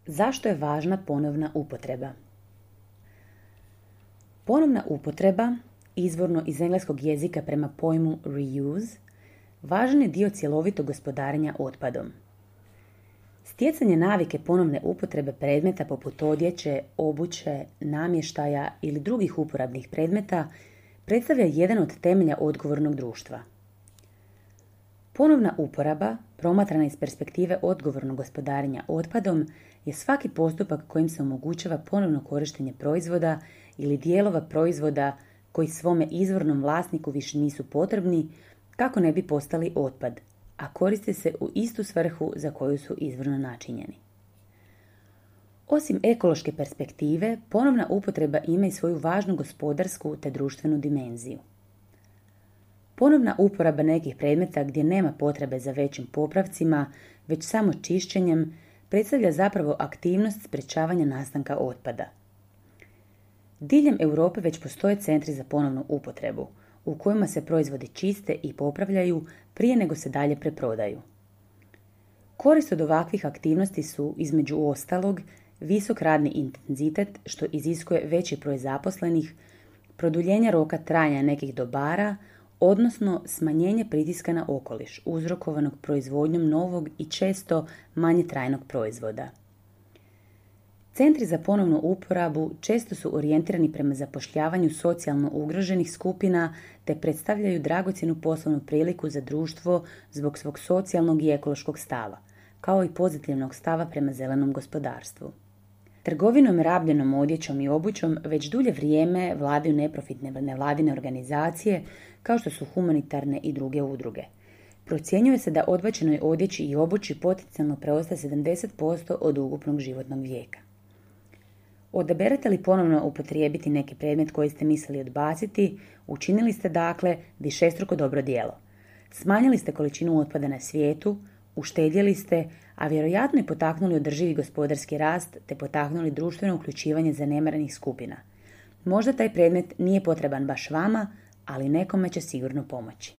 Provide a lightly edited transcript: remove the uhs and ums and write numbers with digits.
Zašto je važna ponovna upotreba? Ponovna upotreba, izvorno iz engleskog jezika prema pojmu reuse, važan je dio cjelovitog gospodarenja otpadom. Stjecanje navike ponovne upotrebe predmeta poput odjeće, obuće, namještaja ili drugih uporabnih predmeta predstavlja jedan od temelja odgovornog društva. Ponovna uporaba, promatrana iz perspektive odgovornog gospodarenja otpadom, je svaki postupak kojim se omogućava ponovno korištenje proizvoda ili dijelova proizvoda koji svome izvornom vlasniku više nisu potrebni kako ne bi postali otpad, a koriste se u istu svrhu za koju su izvorno načinjeni. Osim ekološke perspektive, ponovna upotreba ima i svoju važnu gospodarsku te društvenu dimenziju. Ponovna uporaba nekih predmeta gdje nema potrebe za većim popravcima, već samo čišćenjem, predstavlja zapravo aktivnost sprječavanja nastanka otpada. Diljem Europe već postoje centri za ponovnu upotrebu, u kojima se proizvodi čiste i popravljaju prije nego se dalje preprodaju. Korist od ovakvih aktivnosti su, između ostalog, visok radni intenzitet što iziskuje veći broj zaposlenih, produljenje roka trajanja nekih dobara, odnosno smanjenje pritiska na okoliš uzrokovanog proizvodnjom novog i često manje trajnog proizvoda. Centri za ponovnu uporabu često su orijentirani prema zapošljavanju socijalno ugroženih skupina te predstavljaju dragocjenu poslovnu priliku za društvo zbog svog socijalnog i ekološkog stava, kao i pozitivnog stava prema zelenom gospodarstvu. Trgovinom rabljenom odjećom i obućom već dulje vrijeme vladaju neprofitne nevladine organizacije kao što su humanitarne i druge udruge. Procjenjuje se da odbačenoj odjeći i obući potencijalno preostaje 70% od ukupnog životnog vijeka. Odaberete li ponovno upotrijebiti neki predmet koji ste mislili odbaciti, učinili ste dakle višestruko dobro djelo. Smanjili ste količinu otpada na svijetu, uštedjeli ste, a vjerojatno i potaknuli održivi gospodarski rast te potaknuli društveno uključivanje zanemarenih skupina. Možda taj predmet nije potreban baš vama, ali nekome će sigurno pomoći.